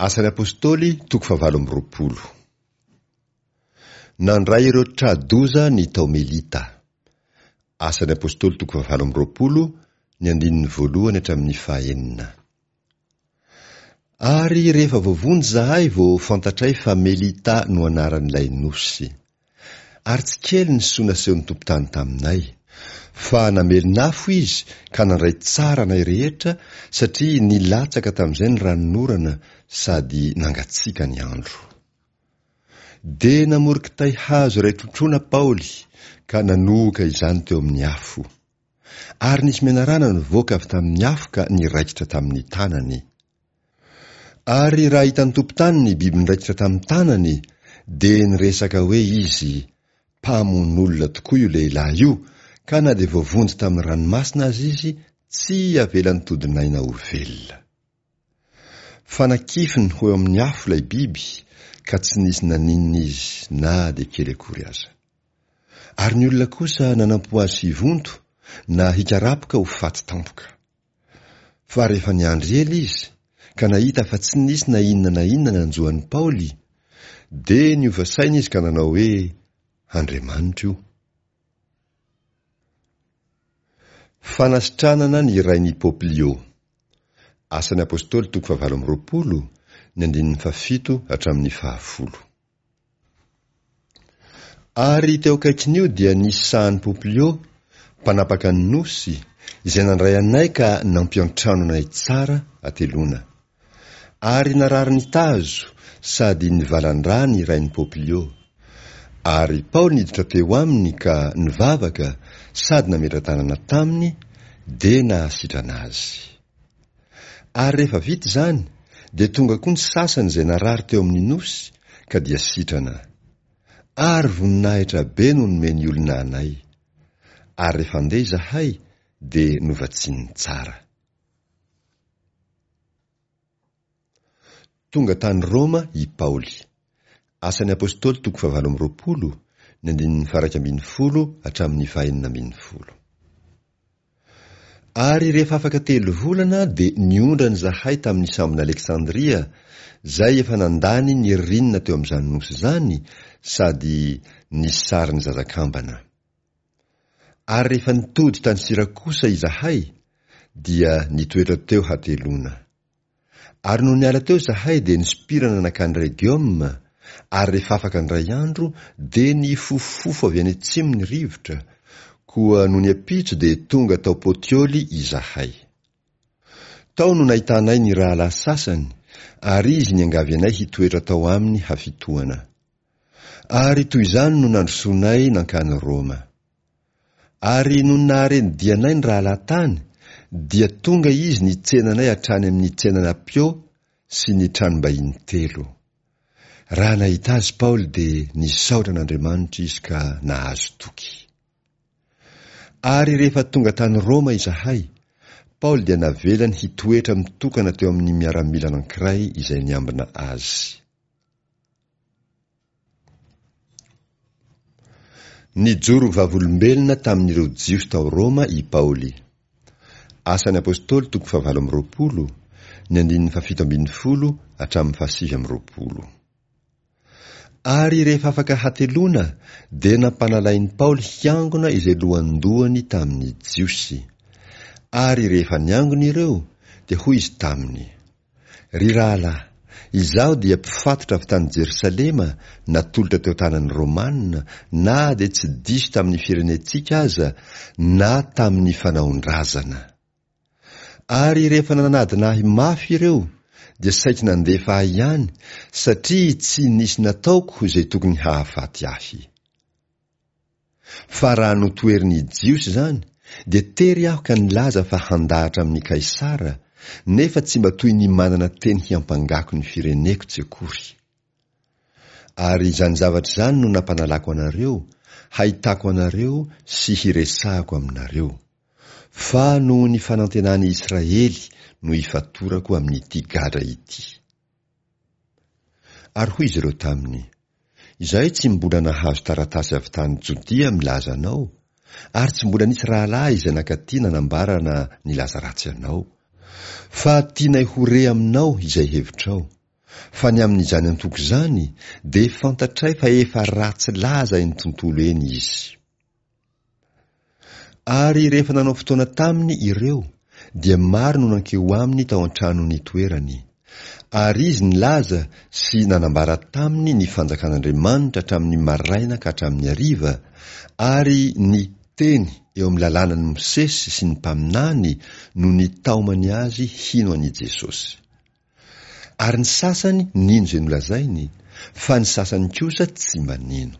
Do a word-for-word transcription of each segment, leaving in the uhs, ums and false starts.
Asan'ny Apostoly toko fahavalo amby roapolo. Nandray ireo tra-doza ny tao Melita. Asan'ny Apostoly toko fahavalo amby roapolo, ny andininy voalohany hatramin'ny fahenina. Ary rehefa voavonjy izahay vao fantatray fa Melita no anaran'ilay nosy. Ary tsy kely ny soa nasehon'ny tompon-tany taminay. Fa namelon'afo izy ka nandray tsara anay rehetra satria nilatsaka tamin'izay ny ranonorana sady nangatsiaka ny andro. Dia namory kitay hazo iray trotroana Paoly ka nanohoka izany teo amin'ny afo. Ary nisy menarana nivoaka avy tamin'ny afo ka niraikitra tamin'ny tanany. Ary raha hitan'ny tompon-tany ny biby niraikitra tamin'ny tanany, dia niresaka hoe izy, Mpamono olona tokoa io lehilahy io, ka na dia voavonjy tamin'ny ranomasina aza izy, tsy avelan'ny todin'aina ho velona. Fa nakifiny ho eo amin'ny afo ilay biby, ka tsy nisy naninona izy na dia kely akory aza. Ary ny olona kosa nanampo azy hivonto na hikarapoka ho faty tampoka. Fa rehefa niandry ela izy, ka nahita fa tsy nisy na inona na inona nanjo an'i Paoly, dia niova saina izy ka nanao hoe, Andriamanitra io. Fanasitranana ny rain'i Poplio. Asan'ny Apostoly toko fahavalo amby roapolo, ny andininy fahafito hatramin'ny fahafolo. Ary teo akaikin'io dia nisy sahan'i Poplio, mpanapaka ny nosy, izay nandray anay ka nampiantrano anay tsara hateloana. Ary narary ny tazo sady nivalan-drà ny rain'i Poplio. Ary Paoly niditra teo aminy ka nivavaka sady nametra-tanana taminy, dia nahasitrana azy. Ary rehefa vita izany, dia tonga koa ny sasany izay narary teo amin'ny nosy, ka dia sitrana. Ary voninahitra be no nomen'ny olona anay. Ary rehefa handeha izahay, dia novatsiany tsara. Tonga tany Roma i Paoly. Asan'ny Apostoly toko fahavalo amby roapolo, ny andininy faha-iraika ambin'ny folo hatramin'ny fahenina ambin'ny folo. Ary rehefa afaka telo volana dia niondrana izahay tamin'ny sambon'Aleksandria, izay efa nandany ny ririnina teo amin'izany nosy izany sady nisy sarin'ny zazakambana. Ary rehefa nitody tany Syrakosa izahay, dia nitoetra teo hateloana. Ary nony niala teo izahay dia nisompirana nankany Regioma, ary rehefa afaka indray andro dia nifofofofo avy any atsimo ny rivotra, koa nony ampitso dia tonga tao Potioly izahay. Tao no nahitanay ny rahalahy sasany, ary izy niangavy anay hitoetra tao aminy hafitohana. Ary toy izany no nandrosoanay nankany Roma. Ary nony nahare ny dianay ny rahalahy tany, dia tonga izy nitsena anay hatrany amin'ny tsenan'Apio sy ny tranom-bahiny telo. Raha nahita azy Paoly dia nisaotra an'Andriamanitra izy ka nahazo toky. Ary rehefa tonga tany Roma izahay, Paoly dia navelany hitoetra mitokana teo amin'ny miaramila anankiray izay niambina azy. Nijoro vavolombelona tamin'ireo Jiosy tao Roma i Paoly. Asan'ny Apostoly toko fahavalo amby roapolo, ny andininy fahafito ambin'ny folo hatramin'ny fahasivy amby roapolo. Ary rehefa afaka hateloana dia nampanalain'i Paoly hiangona izay lohandohany tamin'ny Jiosy. Ary rehefa niangona ireo, dia hoy izy taminy, Ry rahalahy, izaho dia mpifatotra avy tany Jerosalema natolotra teo tanan'ny Romana na dia tsy diso tamin'ny firenentsika aza na tamin'ny fanaon-drazana. Ary rehefa nanadina ahy mafy ireo dia saiky nandefa ahy ihany satria tsy nisy nataoko izay tokony hahafaty ahy. Fa raha notoherin'ny Jiosy izany, dia tery aho ka nilaza fa handahatra amin'i Kaisara, nefa tsy mba toy ny manana teny hiampangako ny fireneko tsy akory. Ary izany zavatra izany no nampanalako anareo, hahitako anareo sy hiresahako aminareo. Fa noho ny fanantenan'i Israely no ifatorako amin'ity gadra ity. Ary hoy izy ireo taminy, Izahay tsy mbola nahazo taratasy avy tany Jodia milaza anao, ary tsy mbola nisy rahalahy izay nankaty nanambara na nilaza ratsy anao. Fa tianay ho re aminao izay hevitrao, Fa ny amin'izany antoko izany dia fantatray fa efa ratsy laza eny tontolo eny izy. Ary rehefa nanao fotoana taminy ireo, dia maro no nankeo aminy tao an-trano nitoerany. Ary izy nilaza sy nanambara taminy ny fanjakan'Andriamanitra hatramin'ny maraina ka hatramin'ny hariva, ary ny teny eo amin'ny lalànan'i Mosesy sy ny mpaminany no nitaomany azy hino an'i Jesosy. Ary ny sasany nino izay nolazainy, fa ny sasany kosa tsy mba nino.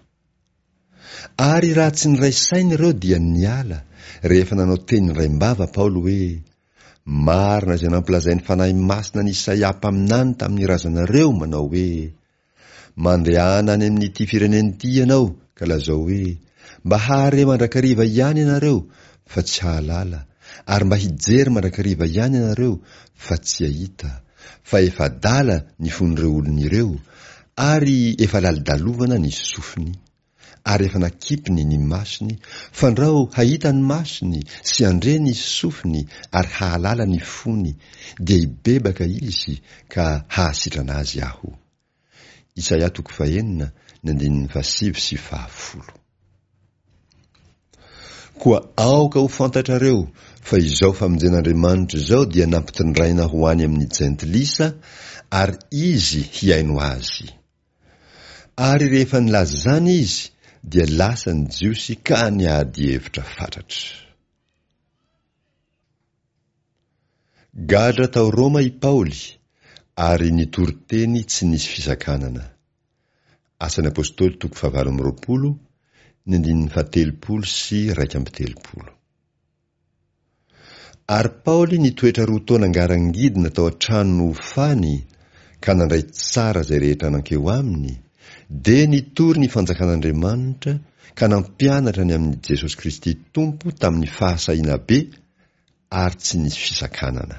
Ary raha tsy niray saina ireo dia niala, rehefa nanao teny indraim-bava Paoly hoe, Marina izay nampilazain'ny Fanahy Masina an'i Isaia mpaminany tamin'ny razanareo manao hoe, Mandehana any amin'ity firenena ity ianao ka lazao hoe, Mba hahare mandrakariva ihany ianareo fa tsy hahalala, ary mba hijery mandrakariva ihany ianareo fa tsy hahita, fa efa adala ny fon'ireo olona ireo, ary efa lalodalovana ny sofiny, ary efa nakipiny ny masony, fandrao hahita ny masony sy handre ny sofiny ary hahalala ny fony, dia hibebaka izy ka hahasitrana azy aho. Isaia toko fahenina, ny andininy fahasivy sy fahafolo. Koa aoka ho fantatrareo fa izao famonjen'Andriamanitra izao dia nampitondraina ho any amin'ny jentilisa, ary izy hihaino azy. Ary rehefa nilaza izany izy, dia lasa ny Jiosy ka niady hevitra fatratra. Gadra tao Roma i Paoly, ary nitory teny tsy nisy fisakanana. Asan'ny Apostoly toko fahavalo amby roapolo, ny andininy fahatelopolo sy iraika amby telopolo. Ary Paoly nitoetra roa taona ngarangidina tao an-trano nohofany ka nandray tsara izay rehetra nankeo aminy, dia nitory ny fanjakan'Andriamanitra ka nampianatra ny amin'i Jesosy Kristy Tompo tamin'ny fahasahiana be ary tsy nisy fisakanana.